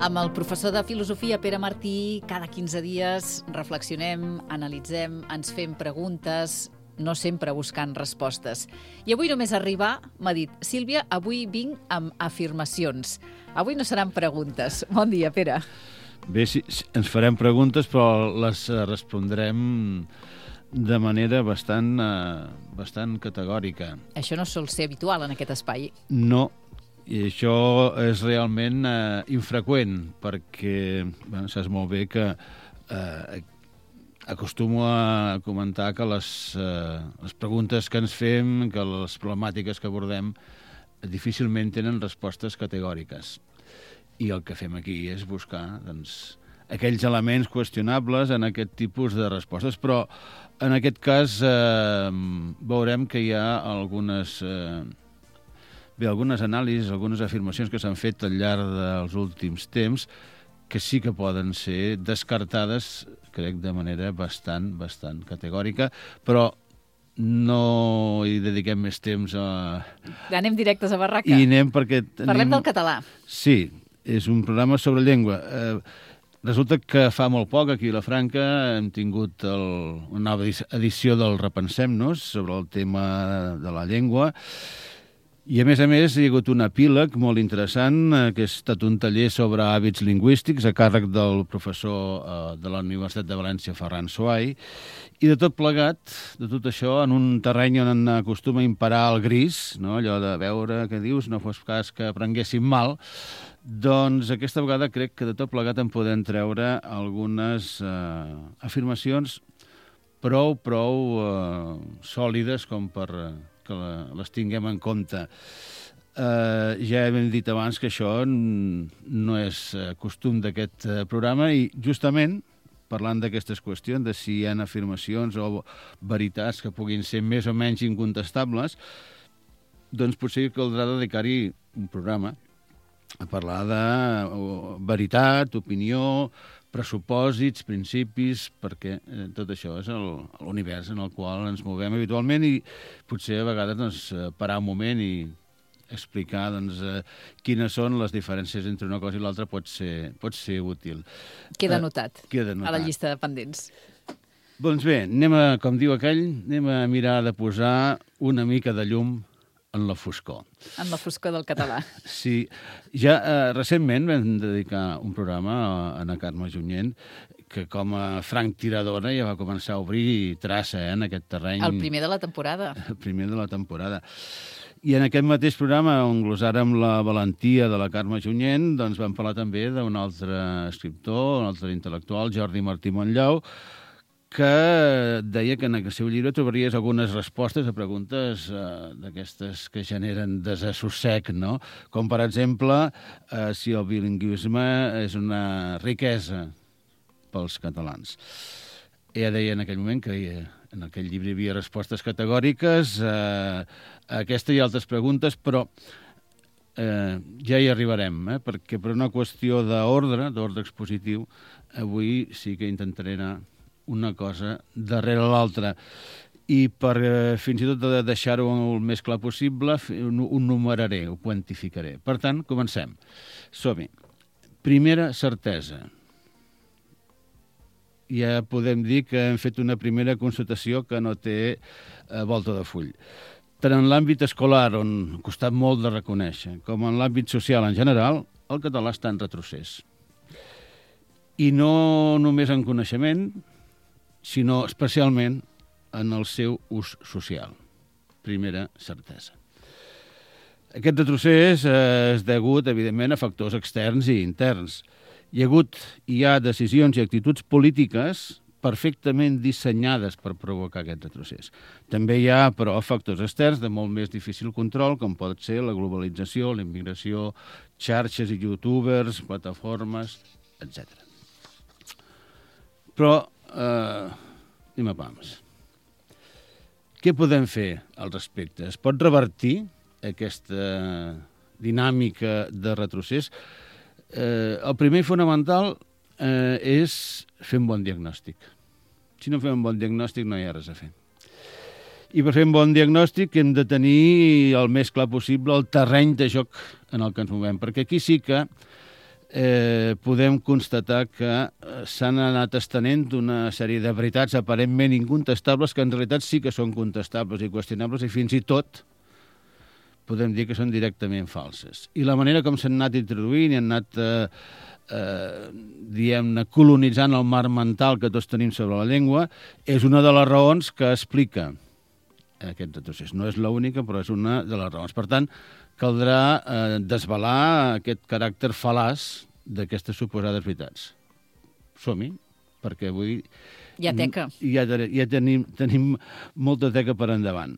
Amb el professor de filosofia Pere Martí, cada 15 dies reflexionem, analitzem, ens fem preguntes, no sempre buscant respostes. I avui només arribar m'ha dit: Sílvia, avui vinc amb afirmacions. Avui no seran preguntes. Bon dia, Pere. Bé, sí, ens farem preguntes, però les respondrem de manera bastant categòrica. Això no sol ser habitual en aquest espai. No, i això és realment infreqüent, perquè saps molt bé que acostumo a comentar que les preguntes que ens fem, que les problemàtiques que abordem, difícilment tenen respostes categòriques. I el que fem aquí és buscar aquells elements qüestionables en aquest tipus de respostes. Però en aquest cas veurem que hi ha algunes anàlisis, algunes afirmacions que s'han fet al llarg dels últims temps que sí que poden ser descartades, crec, de manera bastant categòrica, però no hi dediquem més temps a... Anem directes a barraca. I anem perquè... Parlem del català. Sí, és un programa sobre llengua. Resulta que fa molt poc, aquí a la Franca, hem tingut una nova edició del Repensem-nos sobre el tema de la llengua. I, a més, hi ha hagut un epíleg molt interessant, que ha estat un taller sobre hàbits lingüístics a càrrec del professor de la Universitat de València, Ferran Suai, i de tot plegat, de tot això, en un terreny on acostuma a imperar el gris, no? Allò de veure què dius, no fos cas que aprenguéssim mal, doncs aquesta vegada crec que de tot plegat en podem treure algunes afirmacions prou sòlides com per que les tinguem en compte. Ja hem dit abans que això no és costum d'aquest programa i justament parlant d'aquestes qüestions, de si hi ha afirmacions o veritats que puguin ser més o menys incontestables, doncs potser caldrà dedicar-hi un programa a parlar de veritat, opinió, pressupòsits, principis, perquè tot això és l'univers en el qual ens movem habitualment i potser a vegades parar un moment i explicar quines són les diferències entre una cosa i l'altra pot ser útil. Queda notat a la llista de pendents. Doncs bé, com diu aquell, anem a mirar de posar una mica de llum en la foscor. En la foscor del català. Sí. Ja recentment vam dedicar un programa a Ana Carme Junyent, que com a franc tiradora ja va començar a obrir traça en aquest terreny. El primer de la temporada. El primer de la temporada. I en aquest mateix programa, on glosàrem la valentia de la Carme Junyent, doncs vam parlar també d'un altre escriptor, un altre intel·lectual, Jordi Martí Montllau, que deia que en el seu llibre trobaries algunes respostes a preguntes d'aquestes que generen desassossec, no? Com, per exemple, si el bilingüisme és una riquesa pels catalans. Ella deia en aquell moment que en aquell llibre hi havia respostes categòriques a aquesta i altres preguntes, però ja hi arribarem, perquè per una qüestió d'ordre expositiu, avui sí que intentaré anar una cosa darrere l'altra. I per fins i tot deixar-ho el més clar possible, ho numeraré, ho quantificaré. Per tant, comencem. Som-hi. Primera certesa. Ja podem dir que hem fet una primera constatació que no té volta de full. Tant en l'àmbit escolar, on ha costat molt de reconèixer, com en l'àmbit social en general, el català està en retrocés. I no només en coneixement, sinó especialment en el seu ús social. Primera certesa. Aquest retrocés és degut, evidentment, a factors externs i interns. Hi ha decisions i actituds polítiques perfectament dissenyades per provocar aquest retrocés. També hi ha, però, factors externs de molt més difícil control, com pot ser la globalització, la immigració, xarxes i youtubers, plataformes, etc. Però anem a pams. Què podem fer al respecte? Es pot revertir aquesta dinàmica de retrocés? El primer i fonamental és fer un bon diagnòstic. Si no fem un bon diagnòstic no hi ha res a fer. I per fer un bon diagnòstic hem de tenir el més clar possible el terreny de joc en el que ens movem, perquè aquí sí que podem constatar que s'han anat estenent una sèrie de veritats aparentment incontestables que en realitat sí que són contestables i qüestionables i fins i tot podem dir que són directament falses. I la manera com s'han anat introduint i han anat, diguem-ne, colonitzant el marc mental que tots tenim sobre la llengua és una de les raons que explica aquest retrocés. No és l'única, però és una de les raons. Per tant, caldrà desvelar aquest caràcter fal·laç d'aquestes suposades veritats. Som-hi, perquè avui hi ha teca. Ja tenim molta teca per endavant.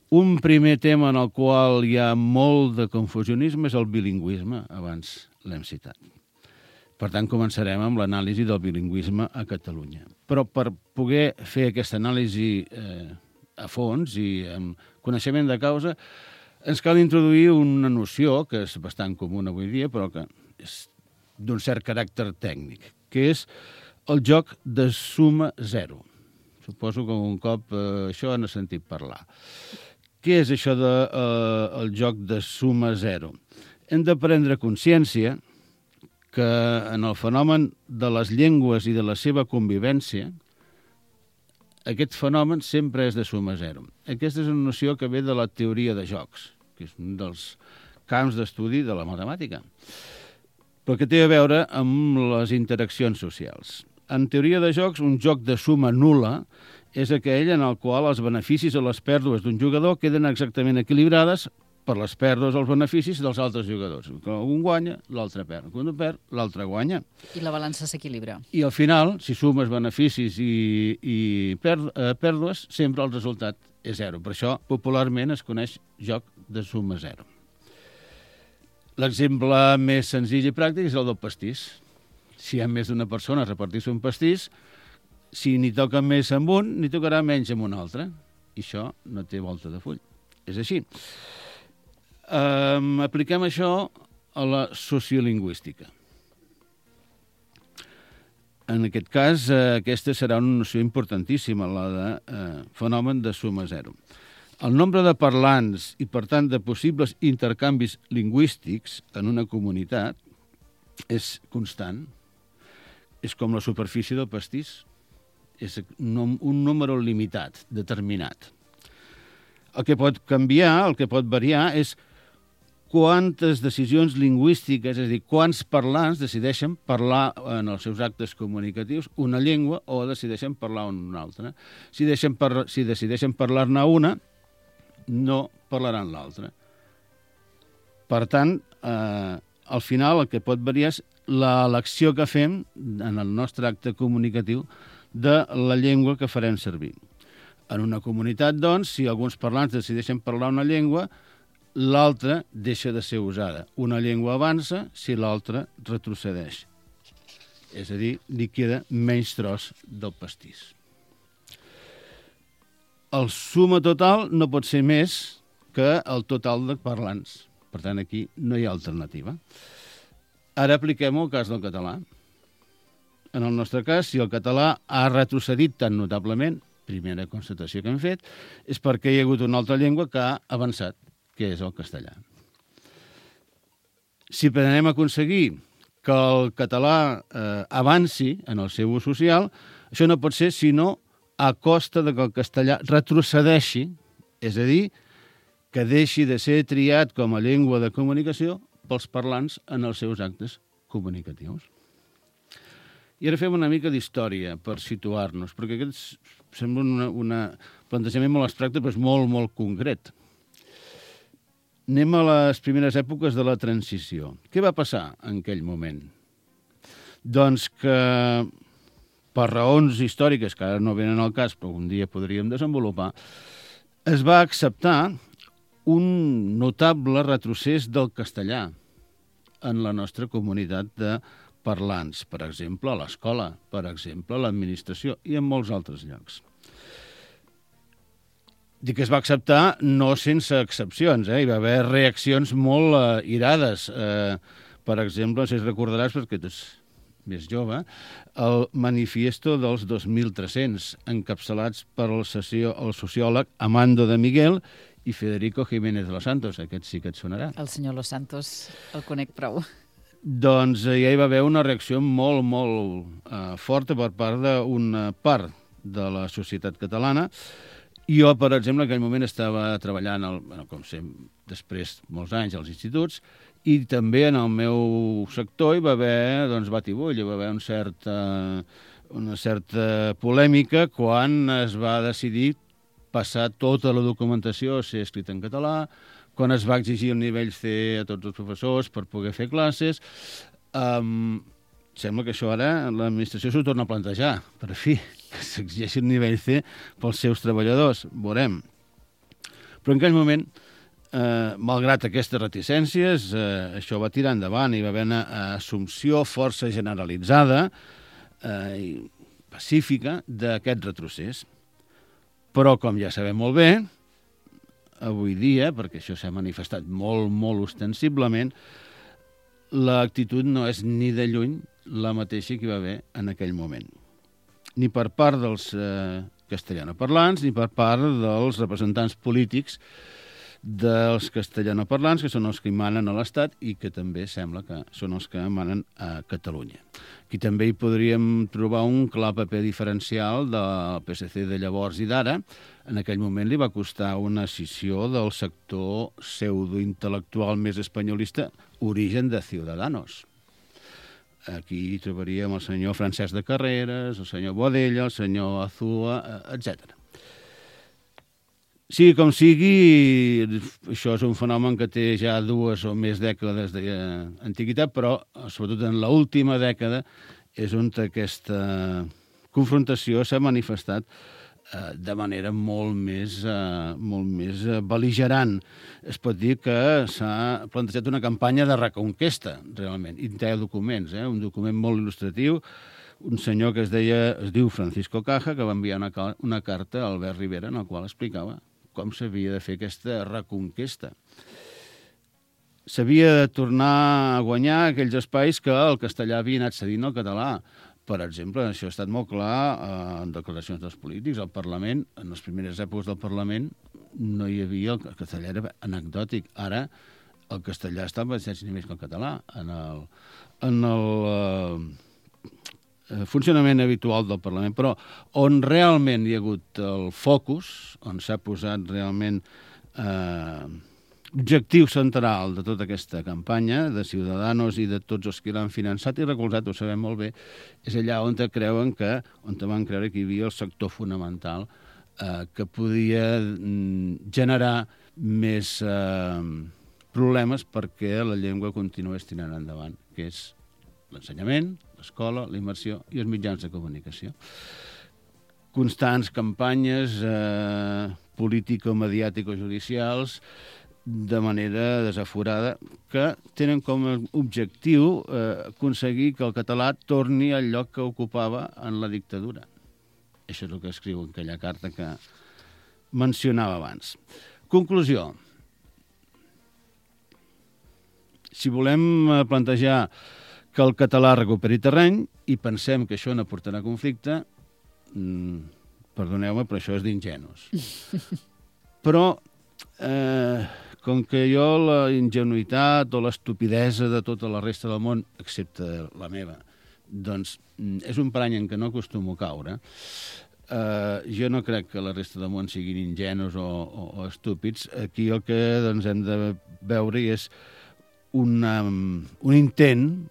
Un primer tema en el qual hi ha molt de confusionisme és el bilingüisme, abans l'hem citat. Per tant, començarem amb l'anàlisi del bilingüisme a Catalunya. Però per poder fer aquesta anàlisi a fons i amb coneixement de causa, ens cal introduir una noció que és bastant comuna avui dia, però que és d'un cert caràcter tècnic, que és el joc de suma zero. Suposo que un cop això han sentit parlar. Què és això del joc de suma zero? Hem de prendre consciència que en el fenomen de les llengües i de la seva convivència, aquest fenomen sempre és de suma zero. Aquesta és una noció que ve de la teoria de jocs, que és un dels camps d'estudi de la matemàtica, però que té a veure amb les interaccions socials. En teoria de jocs, un joc de suma nul·la és aquell en el qual els beneficis o les pèrdues d'un jugador queden exactament equilibrades per les pèrdues o els beneficis dels altres jugadors. Quan un guanya, l'altre perd. Quan un perd, l'altre guanya. I la balança s'equilibra. I al final, si sumes beneficis i pèrdues, sempre el resultat és zero. Per això, popularment, es coneix joc de suma zero. L'exemple més senzill i pràctic és el del pastís. Si hi ha més d'una persona a repartir-se un pastís, si n'hi toca més amb un, n'hi tocarà menys amb un altre. I això no té volta de full. És així. Apliquem això a la sociolingüística. En aquest cas, aquesta serà una noció importantíssima, la de fenomen de suma zero. El nombre de parlants i, per tant, de possibles intercanvis lingüístics en una comunitat és constant. És com la superfície del pastís. És un número limitat, determinat. El que pot canviar, el que pot variar, és quantes decisions lingüístiques, és a dir, quants parlants decideixen parlar en els seus actes comunicatius una llengua o decideixen parlar una altra. Si decideixen parlar-ne una, no parlaran l'altra. Per tant, al final el que pot variar és l'elecció que fem en el nostre acte comunicatiu de la llengua que farem servir. En una comunitat, doncs, si alguns parlants decideixen parlar una llengua, l'altra deixa de ser usada. Una llengua avança si l'altra retrocedeix. És a dir, li queda menys tros del pastís. El suma total no pot ser més que el total de parlants. Per tant, aquí no hi ha alternativa. Ara apliquem el cas del català. En el nostre cas, si el català ha retrocedit tan notablement, primera constatació que hem fet, és perquè hi ha hagut una altra llengua que ha avançat, que és el castellà. Si pretenem aconseguir que el català avanci en el seu ús social, això no pot ser sinó a costa de que el castellà retrocedeixi, és a dir, que deixi de ser triat com a llengua de comunicació pels parlants en els seus actes comunicatius. I ara fem una mica d'història per situar-nos, perquè aquest sembla un plantejament molt abstracte, però és molt, molt concret. Anem a les primeres èpoques de la transició. Què va passar en aquell moment? Doncs que, per raons històriques, que ara no venen al cas, però un dia podríem desenvolupar, es va acceptar un notable retrocés del castellà en la nostra comunitat de parlants, per exemple, a l'escola, per exemple, a l'administració i en molts altres llocs. Dic que es va acceptar no sense excepcions, hi va haver reaccions molt irades. Per exemple, no sé si recordaràs, perquè tu ets més jove, el manifiesto dels 2300, encapçalats per el sociòleg Amando de Miguel i Federico Jiménez de los Santos. Aquest sí que et sonarà. El senyor Los Santos el conec prou. doncs ja hi va haver una reacció molt, molt forta per part d'una part de la societat catalana. Jo, per exemple, en aquell moment estava treballant, com sempre, després molts anys als instituts, i també en el meu sector hi va haver batibull, hi va haver una certa polèmica quan es va decidir passar tota la documentació a ser escrita en català, quan es va exigir el nivell C a tots els professors per poder fer classes. Sembla que això ara l'administració s'ho torna a plantejar, per fi, que s'exigeixi el nivell C pels seus treballadors. Veurem. Però en aquell moment, malgrat aquestes reticències, això va tirar endavant i va haver una assumpció força generalitzada i pacífica d'aquest retrocés. Però, com ja sabem molt bé, avui dia, perquè això s'ha manifestat molt, molt ostensiblement, l'actitud no és ni de lluny la mateixa que hi va haver en aquell moment. Ni per part dels castellanoparlants, ni per part dels representants polítics dels castellanoparlants, que són els que hi manen a l'Estat i que també sembla que són els que manen a Catalunya. Aquí també hi podríem trobar un clar paper diferencial del PSC de llavors i d'ara. En aquell moment li va costar una escissió del sector pseudointel·lectual més espanyolista, origen de Ciudadanos. Aquí hi trobaríem el senyor Francesc de Carreras, el senyor Boadella, el senyor Azúa, etc. Sigui com sigui, això és un fenomen que té ja 2 o més dècades d'antiguitat, però sobretot en l'última dècada és on aquesta confrontació s'ha manifestat de manera molt més bel·ligerant. Es pot dir que s'ha plantejat una campanya de reconquesta, realment, i té documents, un document molt il·lustratiu, un senyor que es diu Francisco Caja, que va enviar una carta a Albert Rivera en la qual explicava com s'havia de fer aquesta reconquesta. S'havia de tornar a guanyar aquells espais que el castellà havia anat cedint al català. Per exemple, això ha estat molt clar en declaracions dels polítics. Al Parlament, en les primeres èpoques del Parlament, no hi havia... El castellà era anecdòtic. Ara, el castellà està en mateixos nivells que el català. En el funcionament habitual del Parlament, però on realment hi ha hagut el focus, on s'ha posat realment objectiu central de tota aquesta campanya de Ciudadanos i de tots els que l'han finançat i recolzat, ho sabem molt bé, és allà on van creure que hi havia el sector fonamental que podia generar més problemes perquè la llengua continués tirant endavant, que és l'ensenyament, l'escola, la immersió i els mitjans de comunicació. Constants campanyes político-mediàtico-judicials de manera desaforada que tenen com a objectiu aconseguir que el català torni al lloc que ocupava en la dictadura. Això és el que escriu en aquella carta que mencionava abans. Conclusió. Si volem plantejar que el català recuperi terreny i pensem que això no portarà conflicte, perdoneu-me, però això és d'ingenus. Però, com que jo la ingenuïtat o l'estupidesa de tota la resta del món, excepte la meva, doncs és un parany en què no acostumo a caure, jo no crec que la resta del món siguin ingenus o estúpids. Aquí el que hem de veure és un intent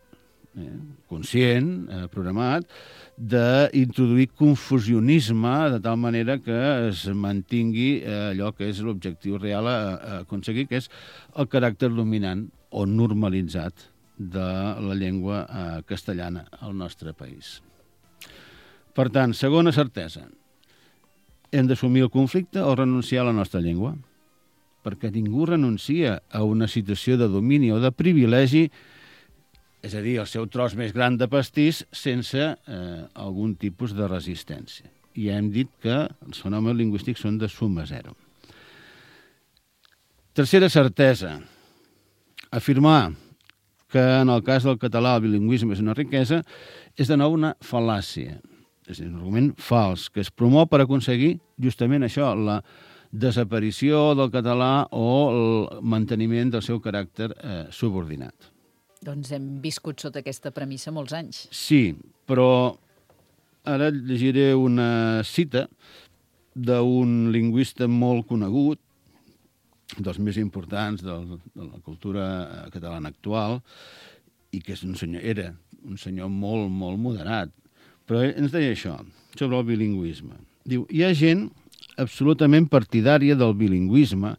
conscient, programat, d'introduir confusionisme de tal manera que es mantingui allò que és l'objectiu real a aconseguir, que és el caràcter dominant o normalitzat de la llengua castellana al nostre país. Per tant, segona certesa, hem d'assumir el conflicte o renunciar a la nostra llengua, perquè ningú renuncia a una situació de domini o de privilegi, és a dir, el seu tros més gran de pastís, sense algun tipus de resistència. I ja hem dit que els fenòmens lingüístics són de suma zero. Tercera certesa, afirmar que en el cas del català el bilingüisme és una riquesa és de nou una fal·làcia, és un argument fals, que es promou per aconseguir justament això, la desaparició del català o el manteniment del seu caràcter subordinat. Doncs hem viscut sota aquesta premissa molts anys. Sí, però ara llegiré una cita d'un lingüista molt conegut, dels més importants de la cultura catalana actual, i que era un senyor molt, molt moderat. Però ens deia això, sobre el bilingüisme. Diu, hi ha gent absolutament partidària del bilingüisme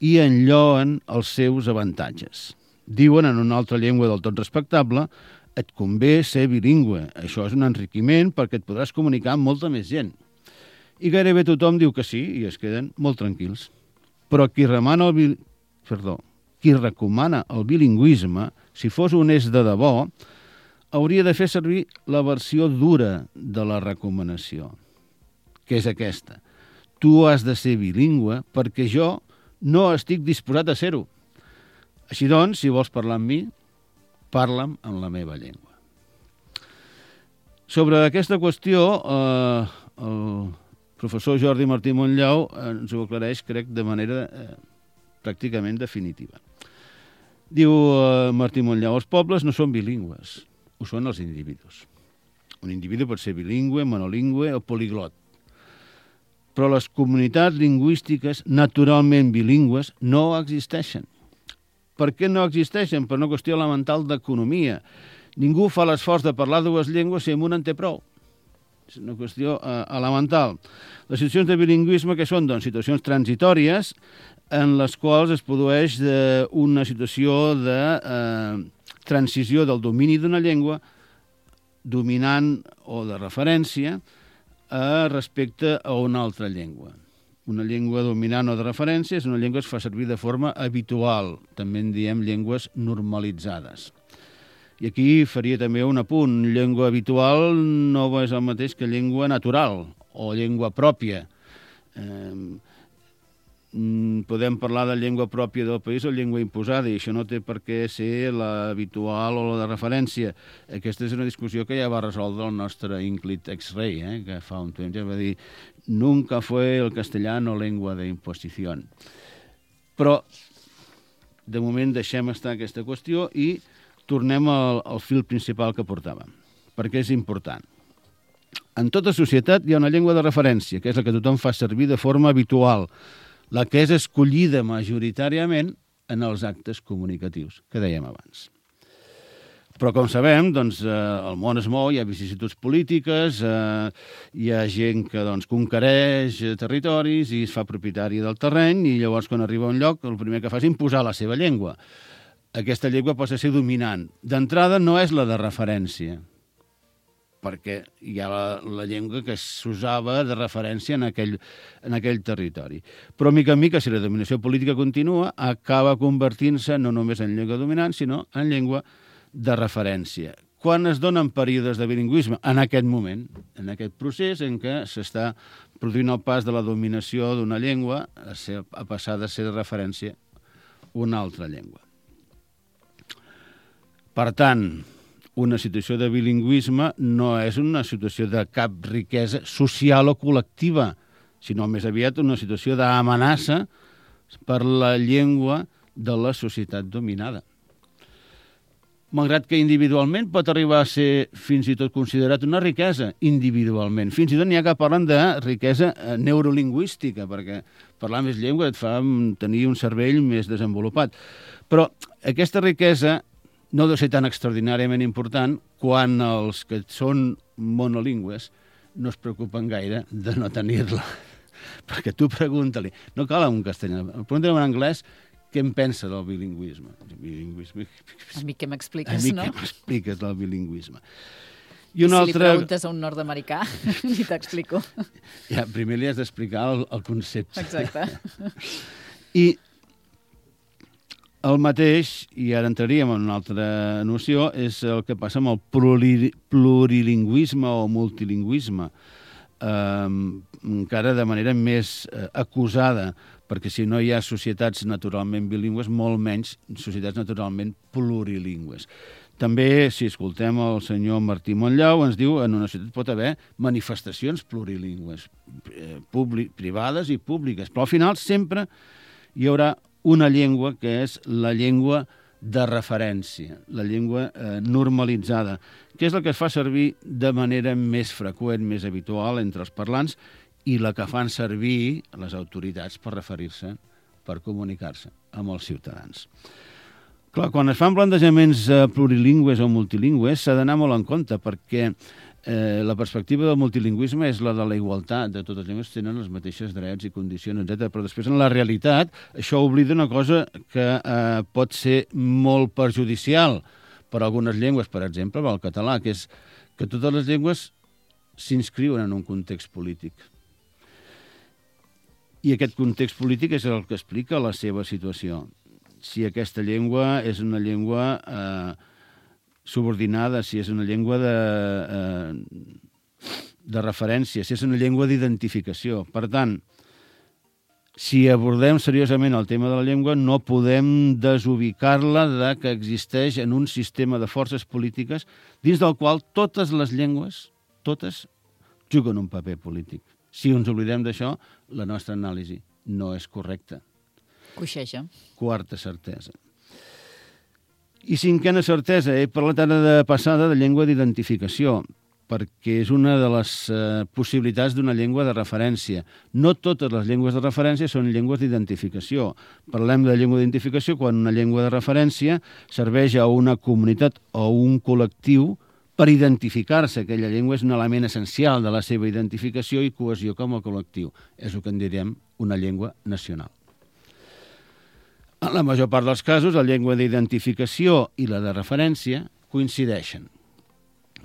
i enlloen els seus avantatges. Diuen en una altra llengua del tot respectable, et convé ser bilingüe. Això és un enriquiment perquè et podràs comunicar amb molta més gent. I gairebé tothom diu que sí i es queden molt tranquils. Però qui recomana el bilingüisme, si fos honest de debò, hauria de fer servir la versió dura de la recomanació, que és aquesta. Tu has de ser bilingüe perquè jo no estic disposat a ser-ho. Així doncs, si vols parlar amb mi, parla'm en la meva llengua. Sobre aquesta qüestió, el professor Jordi Martí Montllau ens ho aclareix, crec, de manera pràcticament definitiva. Diu Martí Montllau, els pobles no són bilingües, ho són els individus. Un individu pot ser bilingüe, monolingüe o poliglot. Però les comunitats lingüístiques naturalment bilingües no existeixen. Per què no existeixen? Per una qüestió elemental d'economia. Ningú fa l'esforç de parlar dues llengües si amb una en té prou. És una qüestió elemental. Les situacions de bilingüisme que són? Doncs situacions transitòries en les quals es produeix una situació de transició del domini d'una llengua dominant o de referència respecte a una altra llengua. Una llengua dominant o de referència és una llengua que es fa servir de forma habitual. També en diem llengües normalitzades. I aquí faria també un apunt. Llengua habitual no és el mateix que llengua natural o llengua pròpia. Podem parlar de llengua pròpia del país o llengua imposada, i això no té per què ser l'habitual o la de referència. Aquesta és una discussió que ja va resoldre el nostre ínclit ex-rei, que fa un temps ja va dir «Nunca fue el castellano lengua de imposición». Però, de moment, deixem estar aquesta qüestió i tornem al fil principal que portàvem, perquè és important. En tota societat hi ha una llengua de referència, que és la que tothom fa servir de forma habitual, la que és escollida majoritàriament en els actes comunicatius, que dèiem abans. Però, com sabem, doncs, el món es mou, hi ha vicissituds polítiques, hi ha gent que conquereix territoris i es fa propietari del terreny, i llavors, quan arriba a un lloc, el primer que fa és imposar la seva llengua. Aquesta llengua pot ser dominant. D'entrada, no és la de referència, perquè hi ha la llengua que s'usava de referència en aquell territori. Però, mica en mica, si la dominació política continua, acaba convertint-se no només en llengua dominant, sinó en llengua de referència. Quan es donen períodes de bilingüisme? En aquest moment, en aquest procés en què s'està produint el pas de la dominació d'una llengua a passar de ser de referència una altra llengua. Per tant, una situació de bilingüisme no és una situació de cap riquesa social o col·lectiva, sinó més aviat una situació d'amenaça per la llengua de la societat dominada. Malgrat que individualment pot arribar a ser fins i tot considerat una riquesa, individualment. Fins i tot n'hi ha que parlen de riquesa neurolingüística, perquè parlar més llengua et fa tenir un cervell més desenvolupat. Però aquesta riquesa no deu ser tan extraordinàriament important quan els que són monolingües no es preocupen gaire de no tenir-la. Perquè tu pregunta-li, no cal en castellà, pregunta-li en anglès què em pensa del bilingüisme. A mi què m'expliques, no? A mi què m'expliques del bilingüisme. I si li preguntes a un nord-americà, ni t'explico. Ja, primer li has d'explicar el concepte. Exacte. I el mateix, i ara entraríem en una altra noció, és el que passa amb el plurilingüisme o multilingüisme, encara de manera més acusada, perquè si no hi ha societats naturalment bilingües, molt menys societats naturalment plurilingües. També, si escoltem el senyor Martí Montllau, ens diu que en una societat pot haver manifestacions plurilingües, privades i públiques, però al final sempre hi haurà una llengua que és la llengua de referència, la llengua normalitzada, que és la que es fa servir de manera més freqüent, més habitual entre els parlants i la que fan servir les autoritats per referir-se, per comunicar-se amb els ciutadans. Clar, quan es fan plantejaments plurilingües o multilingües s'ha d'anar molt en compte perquè la perspectiva del multilingüisme és la de la igualtat, de totes les llengües tenen els mateixos drets i condicions, etc. Però després, en la realitat, això oblida una cosa que pot ser molt perjudicial per a algunes llengües, per exemple, el català, que és que totes les llengües s'inscriuen en un context polític. I aquest context polític és el que explica la seva situació. Si aquesta llengua és una llengua subordinada, si és una llengua de referència, si és una llengua d'identificació. Per tant, si abordem seriosament el tema de la llengua, no podem desubicar-la de que existeix en un sistema de forces polítiques dins del qual totes les llengües, totes, juguen un paper polític. Si ens oblidem d'això, la nostra anàlisi no és correcta. Coixeja. Quarta certesa. I cinquena certesa, he parlat ara de passada de llengua d'identificació, perquè és una de les possibilitats d'una llengua de referència. No totes les llengües de referència són llengües d'identificació. Parlem de llengua d'identificació quan una llengua de referència serveix a una comunitat o un col·lectiu per identificar-se. Aquella llengua és un element essencial de la seva identificació i cohesió com a col·lectiu. És el que en direm una llengua nacional. En la major part dels casos, la llengua d'identificació i la de referència coincideixen.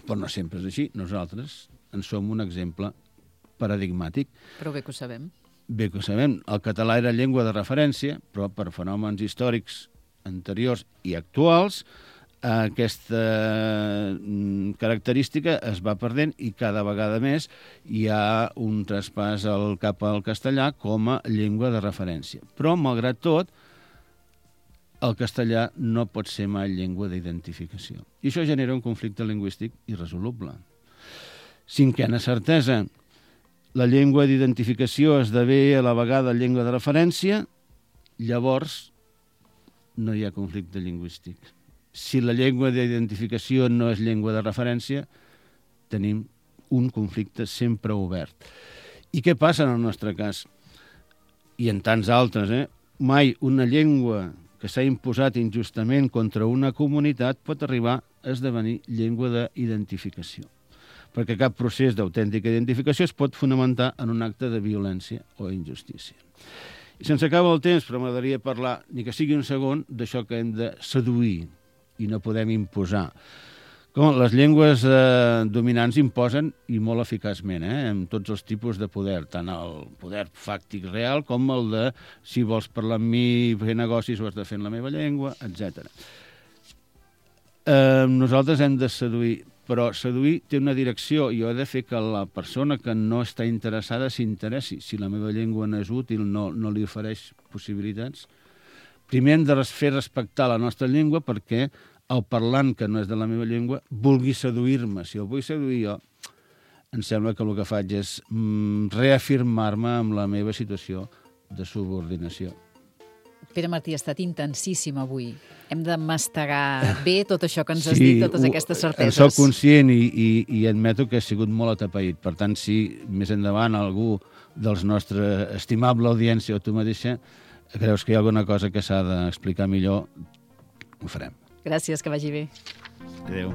Però no sempre és així. Nosaltres en som un exemple paradigmàtic. Però bé que ho sabem. Bé que ho sabem. El català era llengua de referència, però per fenòmens històrics anteriors i actuals, aquesta característica es va perdent i cada vegada més hi ha un traspàs cap al castellà com a llengua de referència. Però, malgrat tot, el castellà no pot ser mai llengua d'identificació. I això genera un conflicte lingüístic irresoluble. Cinquena certesa, la llengua d'identificació esdevé a la vegada llengua de referència, llavors no hi ha conflicte lingüístic. Si la llengua d'identificació no és llengua de referència, tenim un conflicte sempre obert. I què passa en el nostre cas? I en tants altres, Mai una llengua que s'ha imposat injustament contra una comunitat pot arribar a esdevenir llengua d'identificació. Perquè cap procés d'autèntica identificació es pot fonamentar en un acte de violència o injustícia. I se'ns acaba el temps, però m'agradaria parlar, ni que sigui un segon, d'això que hem de seduir i no podem imposar. Com les llengües dominants imposen, i molt eficaçment, amb tots els tipus de poder, tant el poder fàctic real com el de si vols parlar amb mi, fer negocis, ho has de fer en la meva llengua, etc. Nosaltres hem de seduir, però seduir té una direcció i ho ha de fer que la persona que no està interessada s'interessi. Si la meva llengua no és útil, no li ofereix possibilitats. Primer hem de fer respectar la nostra llengua perquè el parlant que no és de la meva llengua vulgui seduir-me. Si el vull seduir jo, em sembla que el que faig és reafirmar-me amb la meva situació de subordinació. Pere Martí, ha estat intensíssim avui. Hem de mastegar bé tot això que ens has dit, totes aquestes certeses. En soc conscient i admeto que he sigut molt atapeït. Per tant, si més endavant algú dels nostres estimable audiència o tu mateixa creus que hi ha alguna cosa que s'ha d'explicar millor, ho farem. Gràcies, que vagi bé. Adéu.